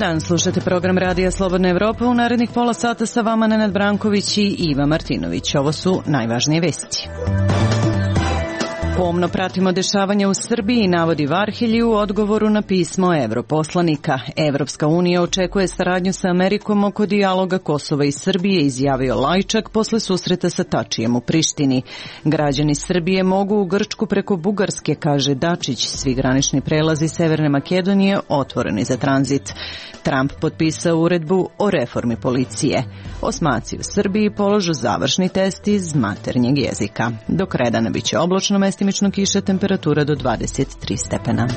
dan, slušate program Radija Slobodna Evropa. U narednih pola sata sa vama Nenad Branković i Iva Martinović. Ovo su najvažnije vesti. Pomno pratimo dešavanja u Srbiji, navodi Varhelji u odgovoru na pismo europoslanika. Evropska unija očekuje saradnju sa Amerikom oko dijaloga Kosova i Srbije, izjavio Lajčak posle susreta sa Tačijem u Prištini. Građani Srbije mogu u Grčku preko Bugarske, kaže Dačić. Svi granični prelazi Severne Makedonije otvoreni za tranzit. Trump potpisao uredbu o reformi policije. Osmaci u Srbiji položu završni test iz maternjeg jezika. Do kraja dana biće oblačno, mestimično kiša, temperatura do 23 stepena.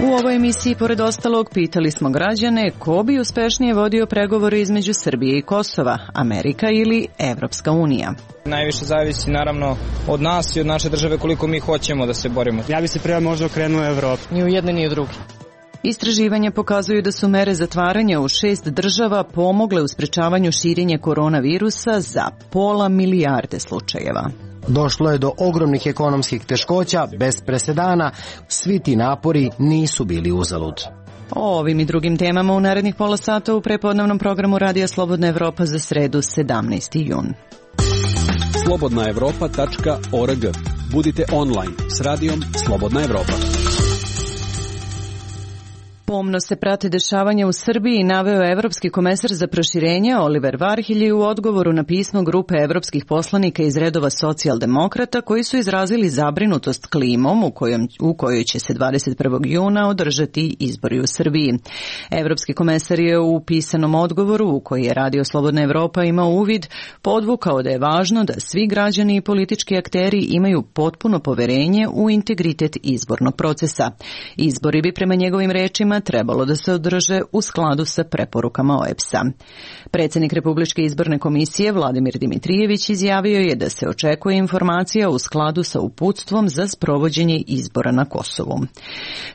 U ovoj emisiji, pored ostalog, pitali smo građane ko bi uspešnije vodio pregovore između Srbije i Kosova, Amerika ili Evropska unija. Najviše zavisi naravno od nas i od naše države koliko mi hoćemo da se borimo. Ja bi se prije možda okrenuo Evropi. Ni u jedne ni u drugi. Istraživanja pokazuju da su mere zatvaranja u 6 država pomogle u sprečavanju širenja koronavirusa za pola milijarde slučajeva. Došlo je do ogromnih ekonomskih teškoća, bez presedana. Svi ti napori nisu bili uzalud. O ovim i drugim temama u narednih pola sata u prepodnevnom programu Radija Slobodna Evropa za sredu 17. jun. slobodnaevropa.org. Budite online s radijom Slobodna Evropa. Pomno se prate dešavanja u Srbiji, naveo evropski komesar za proširenje Oliver Varhelji u odgovoru na pismo grupe evropskih poslanika iz redova socijaldemokrata koji su izrazili zabrinutost klimom u kojoj će se 21. juna održati izbori u Srbiji. Evropski komesar je u pisanom odgovoru u koji je Radio Slobodna Evropa imao uvid podvukao da je važno da svi građani i politički akteri imaju potpuno poverenje u integritet izbornog procesa. Izbori bi prema njegovim rečima trebalo da se održe u skladu sa preporukama OEBS-a. Predsjednik Republičke izborne komisije Vladimir Dimitrijević izjavio je da se očekuje informacija u skladu sa uputstvom za sprovođenje izbora na Kosovu.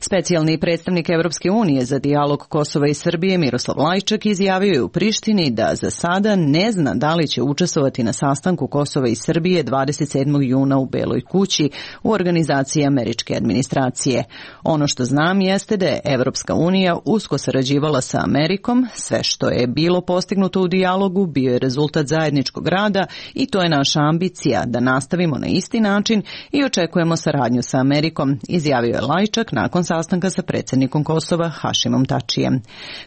Specijalni predstavnik Evropske unije za dijalog Kosova i Srbije Miroslav Lajčak izjavio je u Prištini da za sada ne zna da li će učestvovati na sastanku Kosova i Srbije 27. juna u Beloj kući u organizaciji američke administracije. Ono što znam jeste da je Evropska unija usko sarađivala sa Amerikom, sve što je bilo postignuto u dijalogu bio je rezultat zajedničkog rada i to je naša ambicija da nastavimo na isti način i očekujemo saradnju sa Amerikom, izjavio je Lajčak nakon sastanka sa predsjednikom Kosova Hašimom Tačijem.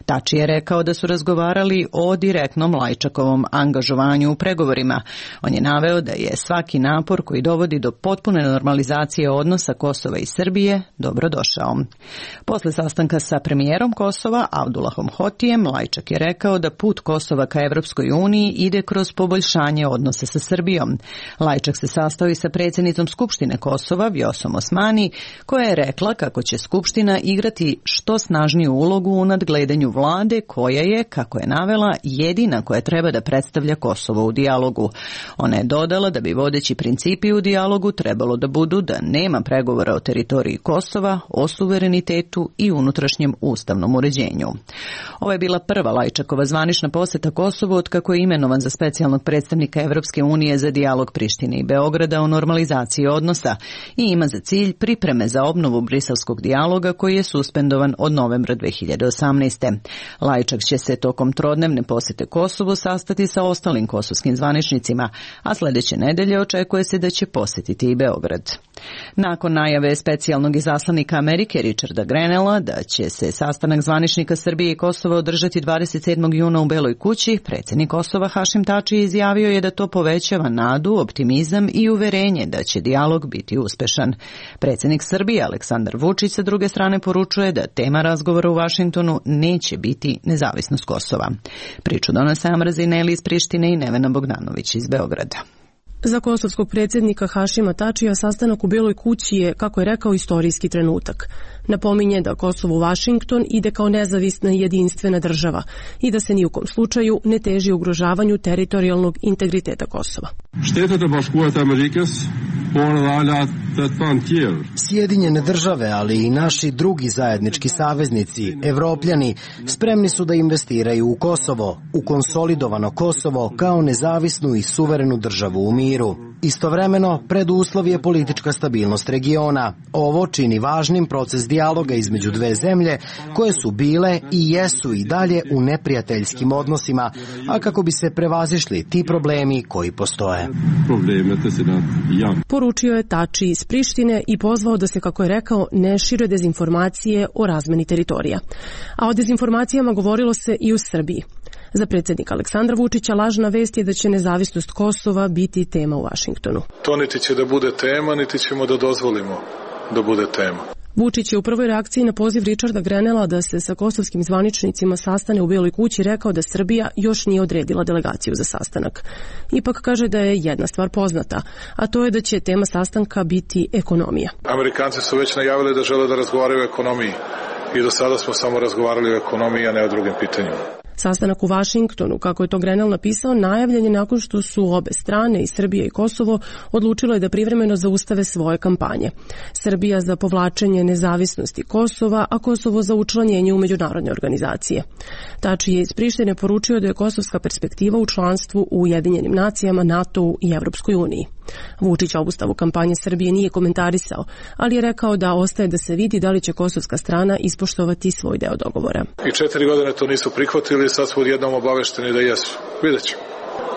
Tači je rekao da su razgovarali o direktnom Lajčakovom angažovanju u pregovorima. On je naveo da je svaki napor koji dovodi do potpune normalizacije odnosa Kosova i Srbije dobrodošao. Posle sastanka sa premijerom Kosova Abdulahom Hotijem, Lajčak je rekao da put Kosova ka Evropskoj uniji ide kroz poboljšanje odnose sa Srbijom. Lajčak se sastao i sa predsjednicom Skupštine Kosova Vjosom Osmani, koja je rekla kako će Skupština igrati što snažniju ulogu u nadgledanju vlade koja je, kako je navela, jedina koja treba da predstavlja Kosovo u dijalogu. Ona je dodala da bi vodeći principi u dijalogu trebalo da budu da nema pregovora o teritoriji Kosova, o suverenitetu i unutrašnjem ustavnom uređenju. Ovo je bila prva Lajčakova zvanična poseta Kosovu od kako je imenovan za specijalnog predstavnika Evropske unije za dijalog Prištine i Beograda o normalizaciji odnosa i ima za cilj pripreme za obnovu briselskog dijaloga koji je suspendovan od novembra 2018. Lajčak će se tokom trodnevne posete Kosovu sastati sa ostalim kosovskim zvaničnicima, a sljedeće nedelje očekuje se da će posjetiti i Beograd. Nakon najave specijalnog izaslanika Amerike Richarda Grenella da će se sastanak zvaničnika Srbije i Kosova održati 27. juna u Beloj kući, predsjednik Kosova Hašim Tači izjavio je da to povećava nadu, optimizam i uverenje da će dijalog biti uspešan. Predsjednik Srbije Aleksandar Vučić sa druge strane poručuje da tema razgovora u Vašingtonu neće biti nezavisnost Kosova. Priču donose Amrazi Neli iz Prištine i Nevena Bogdanović iz Beograda. Za kosovskog predsjednika Hašima Tačija sastanak u Beloj kući je, kako je rekao, istorijski trenutak. Napominje da Kosovo Vašington ide kao nezavisna i jedinstvena država i da se ni u kom slučaju ne teži ugrožavanju teritorijalnog integriteta Kosova. Shtetet e Bashkuara të Amerikës, por edhe alat Sjedinjene države, ali i naši drugi zajednički saveznici, Evropljani, spremni su da investiraju u Kosovo, u konsolidovano Kosovo kao nezavisnu i suverenu državu u miru. Istovremeno, preduslov je politička stabilnost regiona. Ovo čini važnim proces dijaloga između dve zemlje koje su bile i jesu i dalje u neprijateljskim odnosima, a kako bi se prevazišli ti problemi koji postoje. Poručio je Tači iz Prištine i pozvao da se, kako je rekao, ne šire dezinformacije o razmeni teritorija. A o dezinformacijama govorilo se i u Srbiji. Za predsjednika Aleksandra Vučića lažna vest je da će nezavisnost Kosova biti tema u Vašingtonu. To niti će da bude tema, niti ćemo da dozvolimo da bude tema. Vučić je u prvoj reakciji na poziv Richarda Grenella da se sa kosovskim zvaničnicima sastane u Bijeloj kući rekao da Srbija još nije odredila delegaciju za sastanak. Ipak kaže da je jedna stvar poznata, a to je da će tema sastanka biti ekonomija. Amerikanci su već najavili da žele da razgovaraju o ekonomiji i do sada smo samo razgovarali o ekonomiji, a ne o drugim pitanjima. Sastanak u Vašingtonu, kako je to Grenell napisao, najavljen je nakon što su obe strane, i Srbija i Kosovo, odlučilo je da privremeno zaustave svoje kampanje. Srbija za povlačenje nezavisnosti Kosova, a Kosovo za učlanjenje u međunarodne organizacije. Tači je iz Prištine poručio da je kosovska perspektiva u članstvu u Ujedinjenim nacijama, NATO-u i Evropskoj uniji. Vučić obustavu kampanje Srbije nije komentarisao, ali je rekao da ostaje da se vidi da li će kosovska strana ispoštovati svoj deo dogovora. I 4 godine to nisu prihvatili, sad smo odjednom obavešteni da jesu.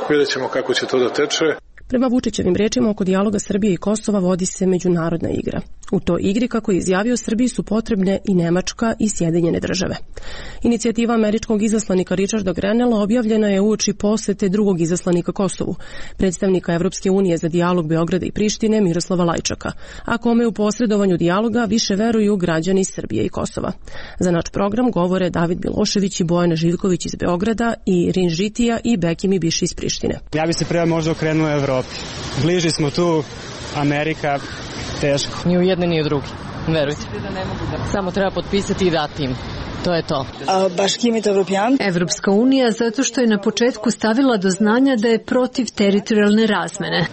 Vidjet ćemo kako će to da teče. Prema Vučićevim rečima, oko dijaloga Srbije i Kosova vodi se međunarodna igra. U toj igri, kako je izjavio, Srbiji su potrebne i Nemačka i Sjedinjene države. Inicijativa američkog izaslanika Richarda Grenella objavljena je uoči posete drugog izaslanika Kosovu, predstavnika Evropske unije za dijalog Beograda i Prištine Miroslava Lajčaka, a kome u posredovanju dijaloga više veruju građani Srbije i Kosova. Za naš program govore David Milošević i Bojana Živković iz Beograda i Rin Žitija i Bekimi Biši iz Prištine. Ja bi se prema možda okrenuo Evropi. Bliži smo tu, Amerika, teško. Ni u jedne, ni u drugi. Verujte. Samo treba potpisati i dati im. To je to. Evropska unija zato što je na početku stavila do znanja da je protiv teritorijalne razmene.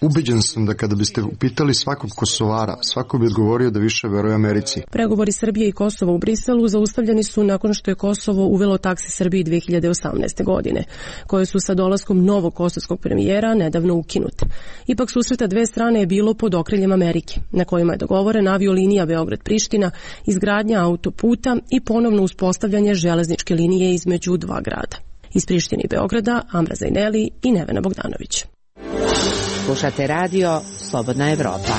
Ubeđen sam da kada biste upitali svakog Kosovara, svako bi odgovorio da više veruje Americi. Pregovori Srbije i Kosova u Briselu zaustavljeni su nakon što je Kosovo uvelo takse Srbiji 2018. godine, koje su sa dolaskom novog kosovskog premijera nedavno ukinute. Ipak susreta dve strane je bilo pod okriljem Amerike, na kojima je dogovoren aviolinija Beograd-Priština, izgradnja autoputa i ponovno uspostavljanje železničke linije između dva grada. Iz Prištine i Beograda, Amra Zajneli i Nevena Bogdanović. Slušate radio Slobodna Evropa.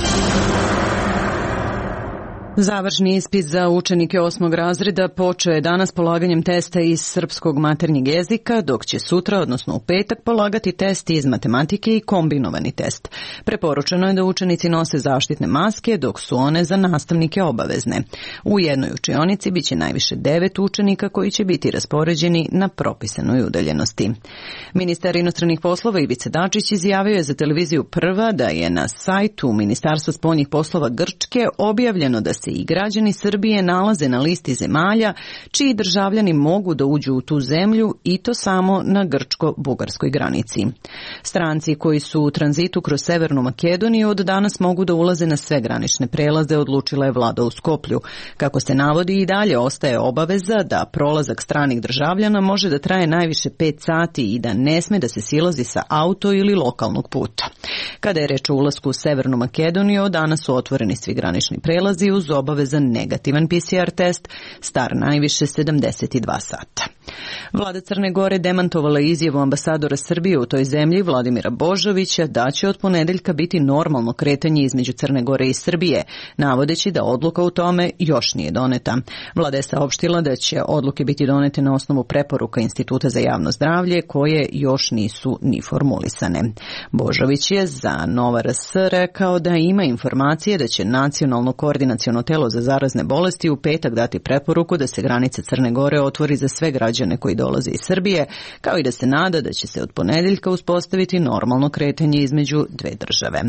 Završni ispit za učenike 8. razreda počeo je danas polaganjem testa iz srpskog maternjeg jezika, dok će sutra, odnosno u petak, polagati test iz matematike i kombinovani test. Preporučeno je da učenici nose zaštitne maske, dok su one za nastavnike obavezne. U jednoj učionici biće najviše 9 učenika koji će biti raspoređeni na propisanoj udaljenosti. Ministar inostranih poslova Ivica Dačić izjavio je za televiziju Prva da je na sajtu Ministarstva spoljnih poslova Grčke objavljeno da se i građani Srbije nalaze na listi zemalja čiji državljani mogu da uđu u tu zemlju i to samo na grčko-bugarskoj granici. Stranci koji su u tranzitu kroz Severnu Makedoniju od danas mogu da ulaze na sve granične prelaze, odlučila je vlada u Skoplju. Kako se navodi, i dalje ostaje obaveza da prolazak stranih državljana može da traje najviše 5 sati i da ne sme da se silazi sa auto ili lokalnog puta. Kada je reč o ulasku u Severnu Makedoniju, od danas su otvoreni svi granični prelazi uz obavezan negativan PCR test, star najviše 72 sata. Vlada Crne Gore demantovala izjavu ambasadora Srbije u toj zemlji Vladimira Božovića da će od ponedeljka biti normalno kretanje između Crne Gore i Srbije, navodeći da odluka u tome još nije doneta. Vlada je saopštila da će odluke biti donete na osnovu preporuka Instituta za javno zdravlje koje još nisu ni formulisane. Božović je za Nova RS rekao da ima informacije da će Nacionalno koordinaciono telo za zarazne bolesti u petak dati preporuku da se granica Crne Gore otvori za sve građane koji dolaze iz Srbije, kao i da se nada da će se od ponedeljka uspostaviti normalno kretanje između dve države.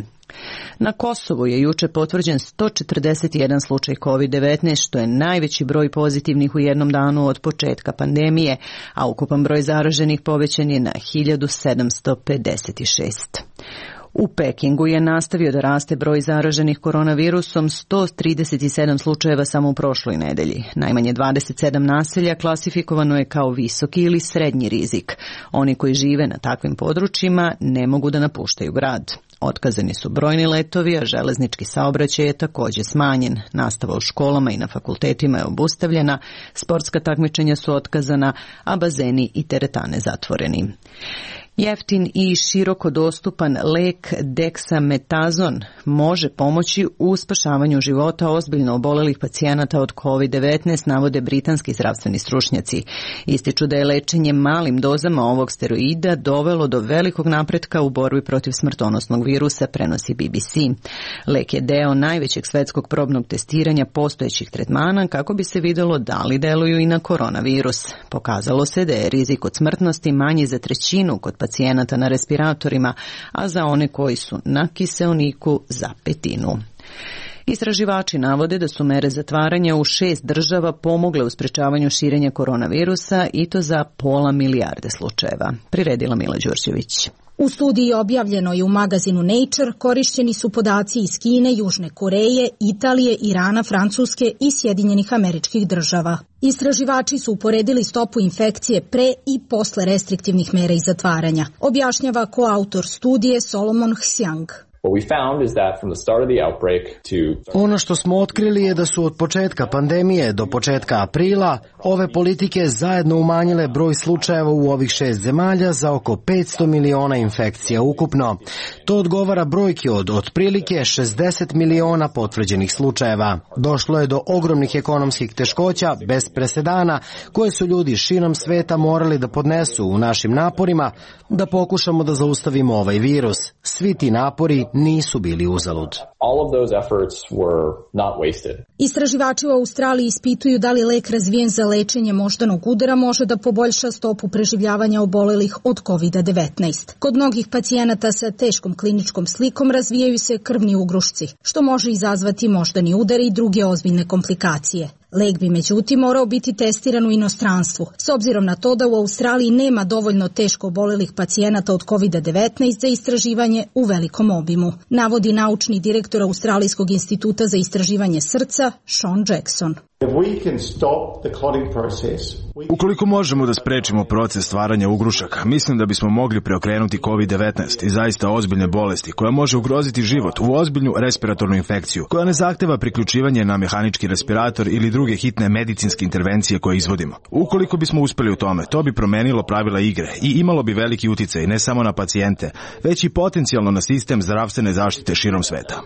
Na Kosovu je juče potvrđen 141 slučaj COVID-19, što je najveći broj pozitivnih u jednom danu od početka pandemije, a ukupan broj zaraženih povećan je na 1756. U Pekingu je nastavio da raste broj zaraženih koronavirusom, 137 slučajeva samo u prošloj nedelji. Najmanje 27 naselja klasifikovano je kao visoki ili srednji rizik. Oni koji žive na takvim područjima ne mogu da napuštaju grad. Otkazani su brojni letovi, a železnički saobraćaj je također smanjen. Nastava u školama i na fakultetima je obustavljena, sportska takmičenja su otkazana, a bazeni i teretane zatvoreni. Jeftin i široko dostupan lek deksametazon može pomoći u spašavanju života ozbiljno obolelih pacijenata od COVID-19, navode britanski zdravstveni stručnjaci. Ističu da je lečenje malim dozama ovog steroida dovelo do velikog napretka u borbi protiv smrtonosnog virusa, prenosi BBC. Lek je deo najvećeg svetskog probnog testiranja postojećih tretmana kako bi se vidjelo da li deluju i na koronavirus. Pokazalo se da je rizik od smrtnosti manji za trećinu kod pacijenata na respiratorima, a za one koji su na kiseoniku za petinu. Istraživači navode da su mere zatvaranja u 6 država pomogle u sprečavanju širenja koronavirusa i to za 500 milijarde slučajeva. Priredila Mila Đurđević. U studiji objavljenoj u magazinu Nature korišćeni su podaci iz Kine, Južne Koreje, Italije, Irana, Francuske i Sjedinjenih Američkih Država. Istraživači su uporedili stopu infekcije pre i posle restriktivnih mera i zatvaranja, objašnjava koautor studije Solomon Hsiang. Ono što smo otkrili je da su od početka pandemije do početka aprila ove politike zajedno umanjile broj slučajeva u ovih 6 zemalja za oko 500 miliona infekcija ukupno. To odgovara brojki od otprilike 60 miliona potvrđenih slučajeva. Došlo je do ogromnih ekonomskih teškoća bez presedana koje su ljudi širom sveta morali da podnesu u našim naporima da pokušamo da zaustavimo ovaj virus. Svi ti napori nisu bili uzalud. Istraživači u Australiji ispituju da li lek razvijen za lečenje moždanog udara može da poboljša stopu preživljavanja obolelih od COVID-19. Kod mnogih pacijenata sa teškom kliničkom slikom razvijaju se krvni ugrušci, što može izazvati moždani udar i druge ozbiljne komplikacije. Lek bi međutim morao biti testiran u inostranstvu, s obzirom na to da u Australiji nema dovoljno teško obolelih pacijenata od COVID-19 za istraživanje u velikom obimu, navodi naučni direktor Australijskog instituta za istraživanje srca Sean Jackson. Ukoliko možemo da sprečimo proces stvaranja ugrušaka, mislim da bismo mogli preokrenuti COVID-19 i zaista ozbiljne bolesti koja može ugroziti život u ozbiljnu respiratornu infekciju koja ne zahteva priključivanje na mehanički respirator ili druge hitne medicinske intervencije koje izvodimo. Ukoliko bismo uspeli u tome, to bi promenilo pravila igre i imalo bi veliki uticaj ne samo na pacijente, već i potencijalno na sistem zdravstvene zaštite širom sveta.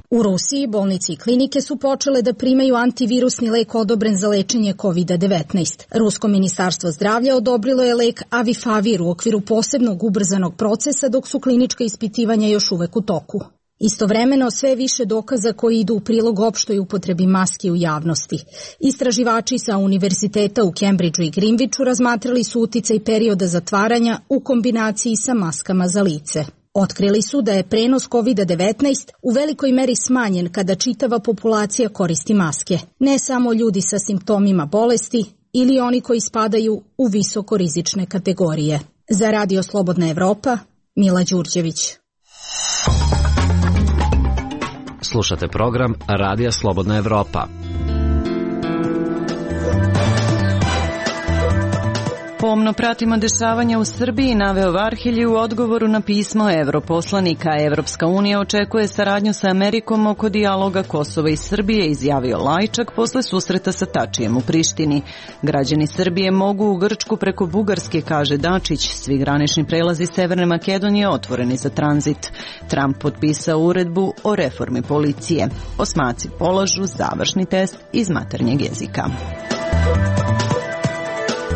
U Rusiji bolnice i klinike su počele da primaju antivirusni lek odobren za lečenje COVID-19. Rusko ministarstvo zdravlja odobrilo je lek Avifavir u okviru posebnog ubrzanog procesa dok su klinička ispitivanja još uvek u toku. Istovremeno sve više dokaza koji idu u prilog opštoj upotrebi maski u javnosti. Istraživači sa univerziteta u Cambridgeu i Greenwichu razmatrali su uticaj perioda zatvaranja u kombinaciji sa maskama za lice. Otkrili su da je prenos COVID-19 u velikoj meri smanjen kada čitava populacija koristi maske, ne samo ljudi sa simptomima bolesti ili oni koji spadaju u visokorizične kategorije. Za Radio Slobodna Evropa, Mila Đurđević. Slušate program Radija Slobodna Evropa. Pomno pratimo dešavanja u Srbiji, naveo Varhelji u odgovoru na pismo europoslanika. Evropska unija očekuje saradnju sa Amerikom oko dijaloga Kosova i Srbije, izjavio Lajčak posle susreta sa Tačijem u Prištini. Građani Srbije mogu u Grčku preko Bugarske, kaže Dačić. Svi granični prelazi Severne Makedonije otvoreni za tranzit. Trump potpisao uredbu o reformi policije. Osmaci polažu završni test iz maternjeg jezika.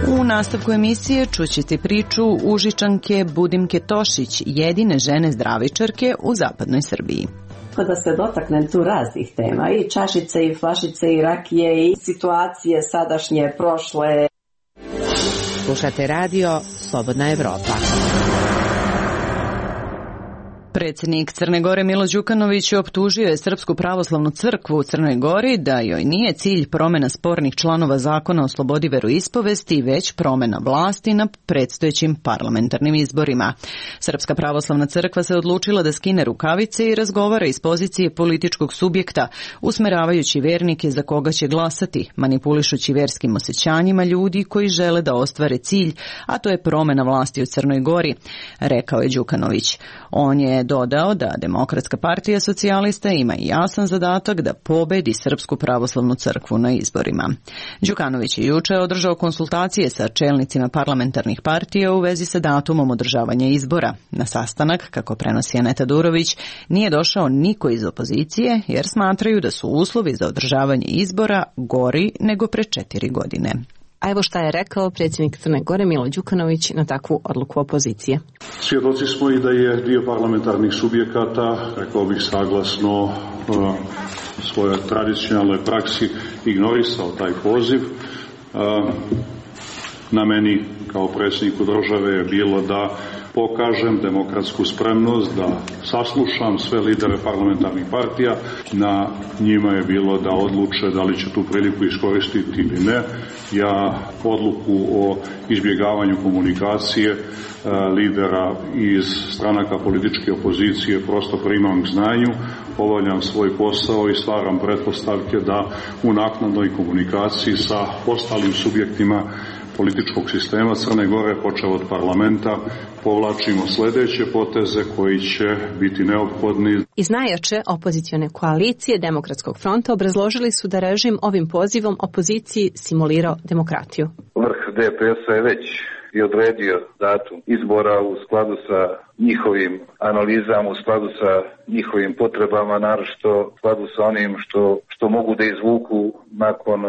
U nastavku emisije čućete priču Užičanke Budimke Tošić, jedine žene zdravičarke u zapadnoj Srbiji. Da se dotaknem tu raznih tema, i čašice, i flašice, i rakije, i situacije sadašnje, prošle. Slušate radio Slobodna Evropa. Predsjednik Crne Gore Milo Đukanović optužio je Srpsku pravoslavnu crkvu u Crnoj Gori da joj nije cilj promjena spornih članova zakona o slobodi veroispovesti, već promjena vlasti na predstojećim parlamentarnim izborima. Srpska pravoslavna crkva se odlučila da skine rukavice i razgovara iz pozicije političkog subjekta, usmeravajući vernike za koga će glasati, manipulišući verskim osjećanjima ljudi koji žele da ostvare cilj, a to je promjena vlasti u Crnoj Gori, rekao je Đukanović. On je dodao da Demokratska partija socijalista ima jasan zadatak da pobedi Srpsku pravoslavnu crkvu na izborima. Đukanović je juče održao konsultacije sa čelnicima parlamentarnih partija u vezi sa datumom održavanja izbora. Na sastanak, kako prenosi Aneta Durović, nije došao niko iz opozicije jer smatraju da su uslovi za održavanje izbora gori nego pre 4 godine. A evo šta je rekao predsjednik Crne Gore Milo Đukanović na takvu odluku opozicije. Svjedoci smo i da je dio parlamentarnih subjekata, rekao bih saglasno svojoj tradicionalnoj praksi, ignorisao taj poziv. Na meni kao predsjedniku države je bilo da pokažem demokratsku spremnost, da saslušam sve lidere parlamentarnih partija. Na njima je bilo da odluče da li će tu priliku iskoristiti ili ne. Ja odluku o izbjegavanju komunikacije lidera iz stranaka političke opozicije prosto primam k znanju, obavljam svoj posao i stvaram pretpostavke da u naknadnoj komunikaciji sa ostalim subjektima političkog sistema Crne Gore, počeo od parlamenta, povlačimo sljedeće poteze koji će biti neophodni. Iz najjače opozicione koalicije Demokratskog fronta obrazložili su da režim ovim pozivom opoziciji simulirao demokratiju. Vrh DPS-a je već i odredio datum izbora u skladu sa njihovim analizama, u skladu sa njihovim potrebama, naročito u skladu sa onim što mogu da izvuku nakon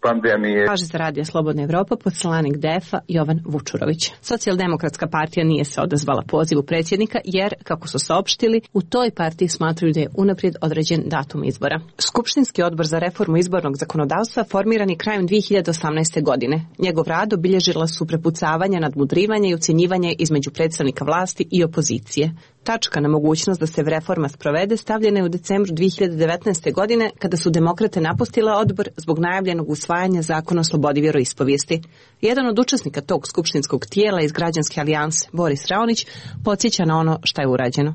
pandemije. Kaže za Radio Slobodna Evropa poslanik DEF-a Jovan Vučurović. Socijaldemokratska partija nije se odazvala pozivu predsjednika jer, kako su saopštili, u toj partiji smatraju da je unaprijed određen datum izbora. Skupštinski odbor za reformu izbornog zakonodavstva formiran je krajem 2018. godine. Njegov rad obilježila su prepucavanja, nadmudrivanje i ucjenjivanje između predstavnika vlasti i opozicije. Tačka na mogućnost da se reforma sprovede stavljena je u decembru 2019. godine kada su demokrate napustile odbor zbog najavljenog usvajanja zakona o slobodi vjeroispovijesti. Jedan od učesnika tog skupštinskog tijela iz Građanske alijanse, Boris Raonić, podsjeća na ono što je urađeno.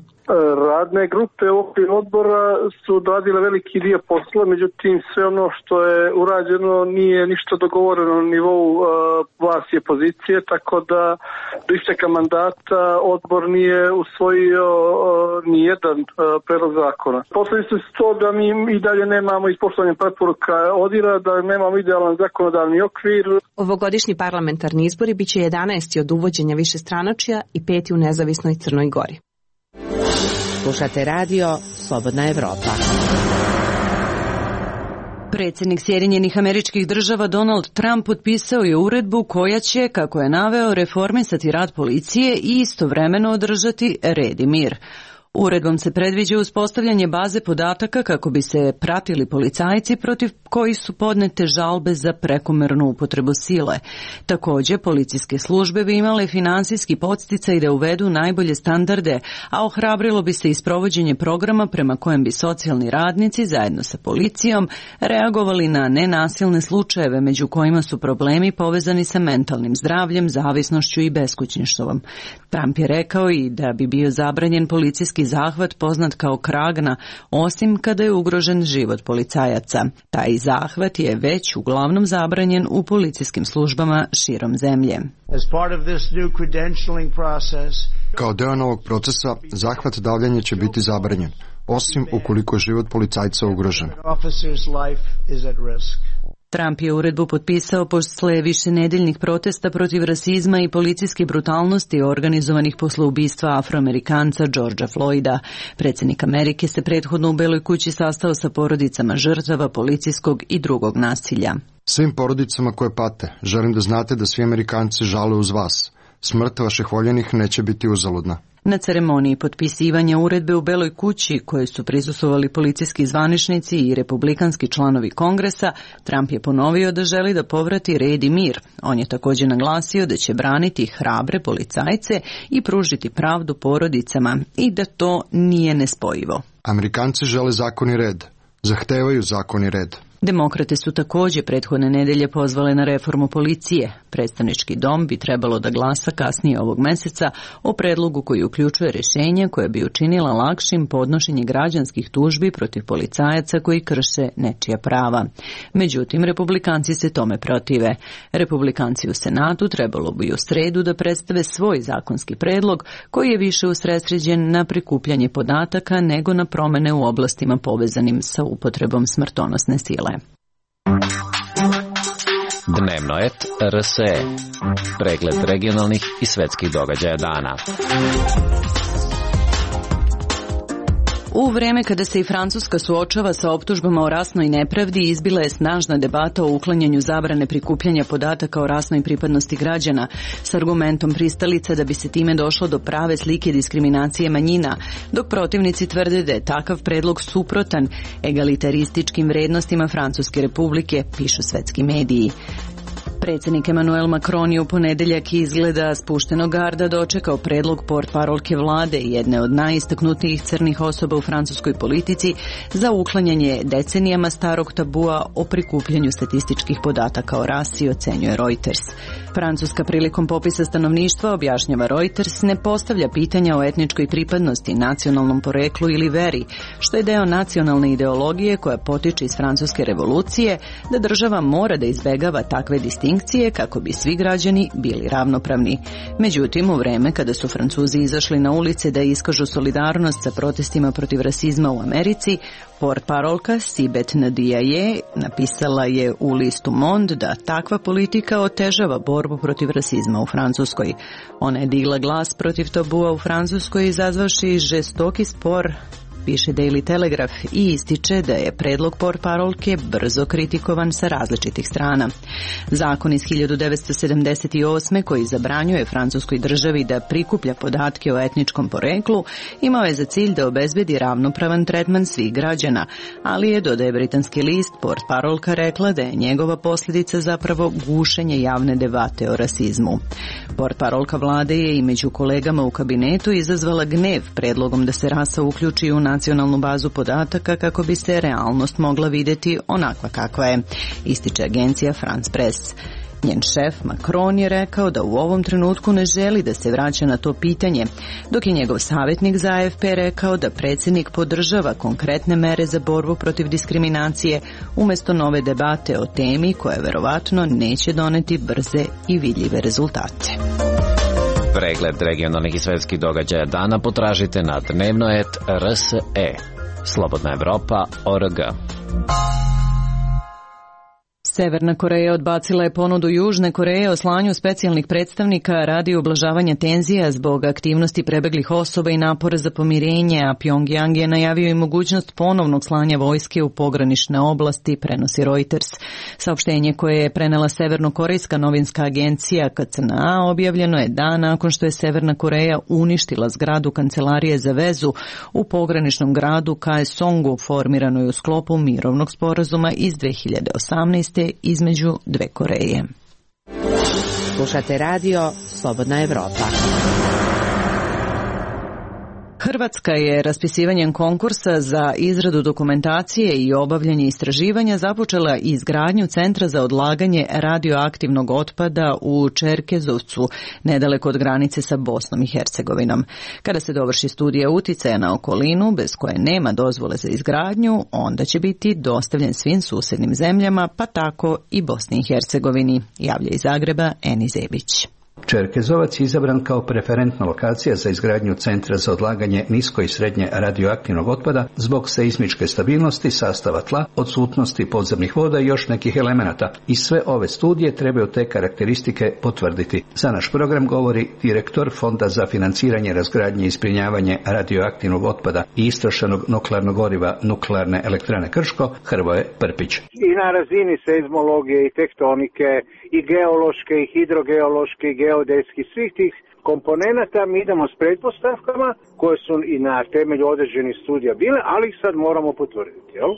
Radne grupe u okviru odbora su odradile veliki dio posla, međutim sve ono što je urađeno nije ništa dogovoreno na nivou vlasti i opozicije, tako da do isteka mandata odbor nije usvojio nijedan predlog zakona. Posljedice su to da mi i dalje nemamo ispoštovanje preporuka ODIHR-a, da nemamo idealan zakonodavni okvir. Ovogodišnji parlamentarni izbori biće 11. od uvođenja višestranačja i 5. u nezavisnoj Crnoj Gori. Slušate radio Slobodna Evropa. Predsjednik Sjedinjenih Američkih Država Donald Trump potpisao je uredbu koja će, kako je naveo, reformisati rad policije i istovremeno održati red i mir. Uredbom se predviđa uspostavljanje baze podataka kako bi se pratili policajci protiv kojih su podnete žalbe za prekomernu upotrebu sile. Također, policijske službe bi imale finansijski podsticaj da uvedu najbolje standarde, a ohrabrilo bi se i sprovođenje programa prema kojem bi socijalni radnici zajedno sa policijom reagovali na nenasilne slučajeve među kojima su problemi povezani sa mentalnim zdravljem, zavisnošću i beskućništvom. Trump je rekao i da bi bio zabranjen policijski zahvat poznat kao kragna, osim kada je ugrožen život policajaca. Taj zahvat je već uglavnom zabranjen u policijskim službama širom zemlje. Kao deo novog procesa, zahvat davljanja će biti zabranjen, osim ukoliko je život policajca ugrožen. Trump je uredbu potpisao posle višenedeljnih protesta protiv rasizma i policijske brutalnosti organizovanih posle ubistva Afroamerikanca Georgea Floyda. Predsjednik Amerike se prethodno u Beloj kući sastao sa porodicama žrtava policijskog i drugog nasilja. Svim porodicama koje pate, želim da znate da svi Amerikanci žale uz vas. Smrt vaših voljenih neće biti uzaludna. Na ceremoniji potpisivanja uredbe u Beloj kući, koje su prisustvovali policijski zvaničnici i republikanski članovi Kongresa, Trump je ponovio da želi da povrati red i mir. On je također naglasio da će braniti hrabre policajce i pružiti pravdu porodicama i da to nije nespojivo. Amerikanci žele zakon i red. Zahtevaju zakon i red. Demokrate su također prethodne nedelje pozvale na reformu policije. Predstavnički dom bi trebalo da glasa kasnije ovog meseca o predlogu koji uključuje rješenje koje bi učinila lakšim podnošenje građanskih tužbi protiv policajaca koji krše nečija prava. Međutim, republikanci se tome protive. Republikanci u Senatu trebalo bi u sredu da predstave svoj zakonski predlog koji je više usredsređen na prikupljanje podataka nego na promene u oblastima povezanim sa upotrebom smrtonosne sile. Dnevno et RSE. Pregled regionalnih i svetskih događaja dana. U vreme kada se i Francuska suočava sa optužbama o rasnoj nepravdi, izbila je snažna debata o uklanjanju zabrane prikupljanja podataka o rasnoj pripadnosti građana s argumentom pristalica da bi se time došlo do prave slike diskriminacije manjina, dok protivnici tvrde da je takav predlog suprotan egalitarističkim vrednostima Francuske republike, pišu svetski mediji. Predsjednik Emmanuel Macron je u ponedeljak izgleda spuštenog garda dočekao predlog portparolke vlade, jedne od najistaknutijih crnih osoba u francuskoj politici, za uklanjanje decenijama starog tabua o prikupljanju statističkih podataka o rasi, ocenjuje Reuters. Francuska prilikom popisa stanovništva, objašnjava Reuters, ne postavlja pitanja o etničkoj pripadnosti, nacionalnom poreklu ili veri, što je deo nacionalne ideologije koja potiče iz francuske revolucije, da država mora da izbegava takve distinkcije kako bi svi građani bili ravnopravni. Međutim, u vreme kada su Francuzi izašli na ulice da iskažu solidarnost sa protestima protiv rasizma u Americi, portparolka Sibeth Ndiaye napisala je u listu Monde da takva politika otežava borbu protiv rasizma u Francuskoj. Ona je digla glas protiv tabua u Francuskoj, izazvavši žestoki spor, piše Daily Telegraph, i ističe da je predlog portparolke brzo kritikovan sa različitih strana. Zakon iz 1978. koji zabranjuje francuskoj državi da prikuplja podatke o etničkom poreklu imao je za cilj da obezbedi ravnopravan tretman svih građana, ali je, dodaje britanski list, portparolka rekla da je njegova posljedica zapravo gušenje javne debate o rasizmu. Portparolka vlade je i među kolegama u kabinetu izazvala gnev predlogom da se rasa uključi u nacionalnu bazu podataka kako bi se realnost mogla vidjeti onakva kakva je, ističe agencija France Press. Njen šef Macron je rekao da u ovom trenutku ne želi da se vraća na to pitanje, dok je njegov savjetnik za AFP rekao da predsjednik podržava konkretne mere za borbu protiv diskriminacije umjesto nove debate o temi koja verovatno neće doneti brze i vidljive rezultate. Pregled regionalnih i svetskih događaja dana potražite na dnevnoet.rse. Slobodna Evropa.org. Severna Koreja odbacila je ponudu Južne Koreje o slanju specijalnih predstavnika radi ublažavanja tenzija zbog aktivnosti prebeglih osoba i napora za pomirenje, a Pyongyang je najavio i mogućnost ponovnog slanja vojske u pogranične oblasti, prenosi Reuters. Saopštenje koje je prenela severnokorejska novinska agencija KCNA objavljeno je dan nakon što je Severna Koreja uništila zgradu kancelarije za vezu u pograničnom gradu Kaesongu, formiranoj u sklopu mirovnog sporazuma iz 2018. između dve Koreje. Slušate radio Slobodna Evropa. Hrvatska je raspisivanjem konkursa za izradu dokumentacije i obavljanje istraživanja započela izgradnju centra za odlaganje radioaktivnog otpada u Čerkezovcu, nedaleko od granice sa Bosnom i Hercegovinom. Kada se dovrši studija uticaja na okolinu, bez koje nema dozvole za izgradnju, onda će biti dostavljen svim susjednim zemljama, pa tako i Bosni i Hercegovini, javlja iz Zagreba Eni Zebić. Čerkezovac je izabran kao preferentna lokacija za izgradnju centra za odlaganje nisko i srednje radioaktivnog otpada zbog seizmičke stabilnosti, sastava tla, odsutnosti podzemnih voda i još nekih elemenata. I sve ove studije trebaju te karakteristike potvrditi. Za naš program govori direktor Fonda za financiranje, razgradnje i zbrinjavanje radioaktivnog otpada i istrošenog nuklearnog goriva Nuklearne elektrane Krško, Hrvoje Prpić. I na razini seizmologije i tektonike i geološke i hidrogeološke i geodetski, svih tih komponenata mi idemo s pretpostavkama koje su i na temelju određenih studija bile, ali ih sad moramo potvrditi, jel?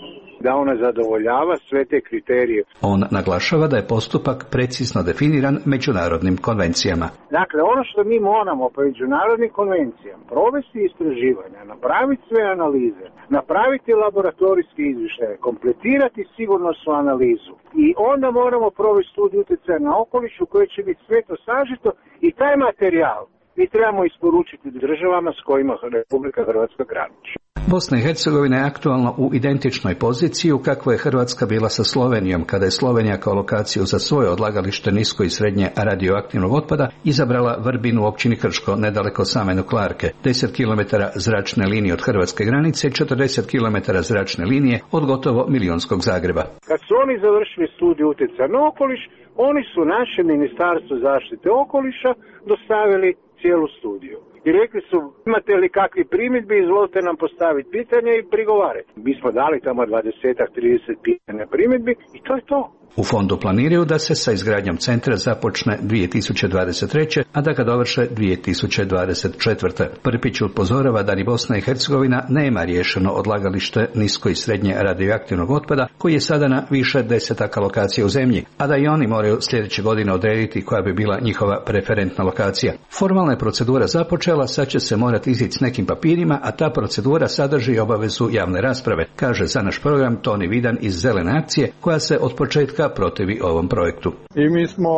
Da ona zadovoljava sve te kriterije. On naglašava da je postupak precizno definiran međunarodnim konvencijama. Dakle, ono što mi moramo po međunarodnim konvencijama provesti istraživanja, napraviti sve analize, napraviti laboratorijske izvještaje, kompletirati sigurnosnu analizu i onda moramo provesti studiju utjecaja na okoliš u kojoj će biti sve to sažeto i taj materijal mi trebamo isporučiti državama s kojima Republika Hrvatska graniči. Bosna i Hercegovina je aktualno u identičnoj poziciji u kakvoj je Hrvatska bila sa Slovenijom, kada je Slovenija kao lokaciju za svoje odlagalište nisko i srednje radioaktivnog otpada izabrala Vrbinu u općini Krško, nedaleko same nuklearke, 10 km zračne linije od hrvatske granice i 40 km zračne linije od gotovo milionskog Zagreba. Kad su oni završili studiju utjecaja na okoliš, oni su naše Ministarstvo zaštite okoliša dostavili cijelu studiju. I rekli su, imate li kakvi primjedbi, izvolite nam postaviti pitanje i prigovarati. Mi smo dali tamo 20-30 pitanja primjedbi i to je to. U fondu planiraju da se sa izgradnjom centra započne 2023. a da ga dovrše 2024. Prpić upozorava da ni Bosna i Hercegovina nema riješeno odlagalište nisko i srednje radioaktivnog otpada koji je sada na više desetaka lokacija u zemlji, a da i oni moraju sljedeće godine odrediti koja bi bila njihova preferentna lokacija. Formalna je procedura započela, sad će se morati izići s nekim papirima, a ta procedura sadrži obavezu javne rasprave, kaže za naš program Toni Vidan iz Zelene akcije, koja se od početka protivi ovom projektu. I mi smo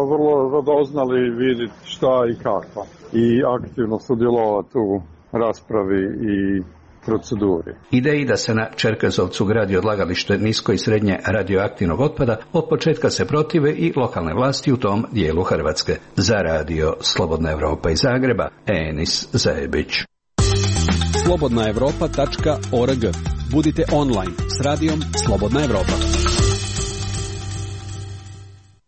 vrlo radoznali vidjeti šta i kako i aktivno sudjelovati u raspravi i proceduri. Ideji da se na Čerkezovcu gradi odlagalište nisko i srednje radioaktivnog otpada od početka se protive i lokalne vlasti u tom dijelu Hrvatske. Za radio Slobodna Evropa iz Zagreba, Enis Zajebić. slobodnaevropa.org. Budite online s radijom Slobodna Evropa.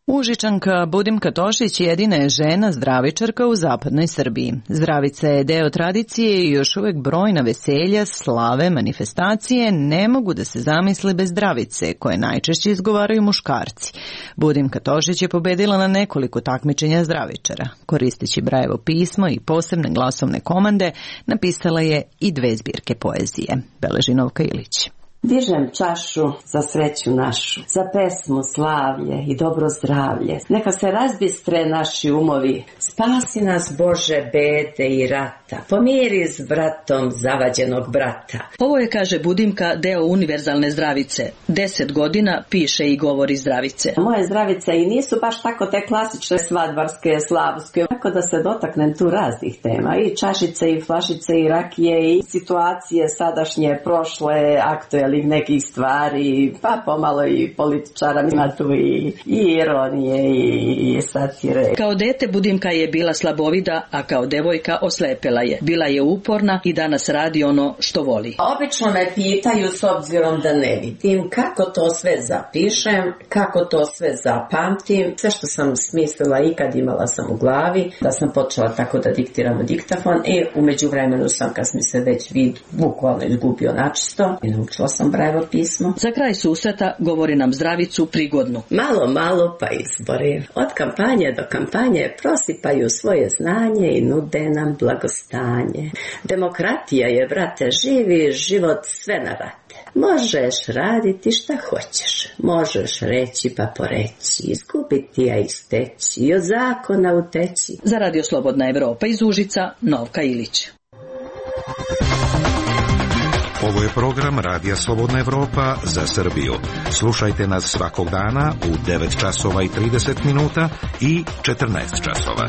Užičanka Budimka Tošić jedina je žena zdravičarka u zapadnoj Srbiji. Zdravica je deo tradicije i još uvek brojna veselja, slave, manifestacije ne mogu da se zamisle bez zdravice, koje najčešće izgovaraju muškarci. Budimka Tošić je pobedila na nekoliko takmičenja zdravičara. Koristeći Brajevo pismo i posebne glasovne komande, napisala je i 2 zbirke poezije. Beleži Novka Ilić. Dižem čašu za sreću našu, za pesmu, slavlje i dobro zdravlje. Neka se razbistre naši umovi, spasi nas Bože bede i rata, pomiri s bratom zavađenog brata. Ovo je, kaže Budimka, deo univerzalne zdravice. 10 godina piše i govori zdravice. Moje zdravice i nisu baš tako te klasične svadbarske, slavske, tako da se dotaknem tu raznih tema. I čašice, i flašice, i rakije, i situacije sadašnje, prošle, aktuelne nekih stvari, pa pomalo i političara, ima tu i ironije i satire. Kao dete Budimka je bila slabovida, a kao devojka oslepela je. Bila je uporna i danas radi ono što voli. Obično me pitaju, s obzirom da ne vidim, kako to sve zapišem, kako to sve zapamtim. Sve što sam smislila ikad imala sam u glavi, da sam počela tako da diktiram u diktafon i u međuvremenu sam, kad mi se već vid bukvalno izgubio načisto, i naučila sam Brajevo pismo. Za kraj susreta govori nam zdravicu prigodnu. Malo pa izbori. Od kampanje do kampanje prosipaju svoje znanje i nude nam blagostanje. Demokratija je, brate, živi život sve na rate. Možeš raditi šta hoćeš. Možeš reći pa poreći, izgubiti a isteći i od zakona uteći. Za radio Slobodna Evropa iz Užica, Novka Ilić. Ovo je program Radija Slobodna Evropa za Srbiju. Slušajte nas svakog dana u 9 časova i 30 minuta i 14 časova.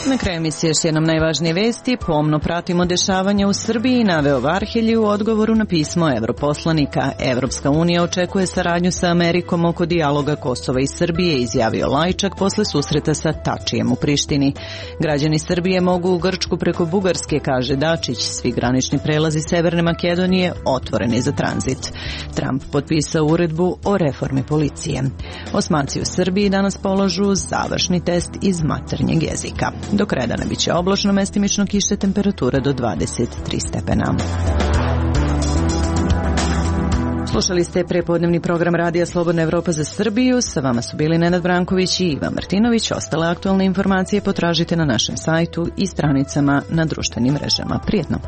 Na kraju emisije još jednom najvažnije vesti. Pomno pratimo dešavanja u Srbiji, naveo Varhelji u odgovoru na pismo europoslanika. Evropska unija očekuje saradnju sa Amerikom oko dijaloga Kosova i Srbije, izjavio Lajčak posle susreta sa Tačijem u Prištini. Građani Srbije mogu u Grčku preko Bugarske, kaže Dačić. Svi granični prelazi Severne Makedonije otvoreni za tranzit. Trump potpisao uredbu o reformi policije. Osmaci u Srbiji danas polažu završni test iz maternjeg jezika. Do kraja dana biće oblačno, mestimično kiše, temperatura do 23 stepena. Slušali ste prepodnevni program Radija Slobodna Evropa za Srbiju. Sa vama su bili Nenad Branković i Ivan Martinović. Ostale aktualne informacije potražite na našem sajtu i stranicama na društvenim mrežama. Prijetno!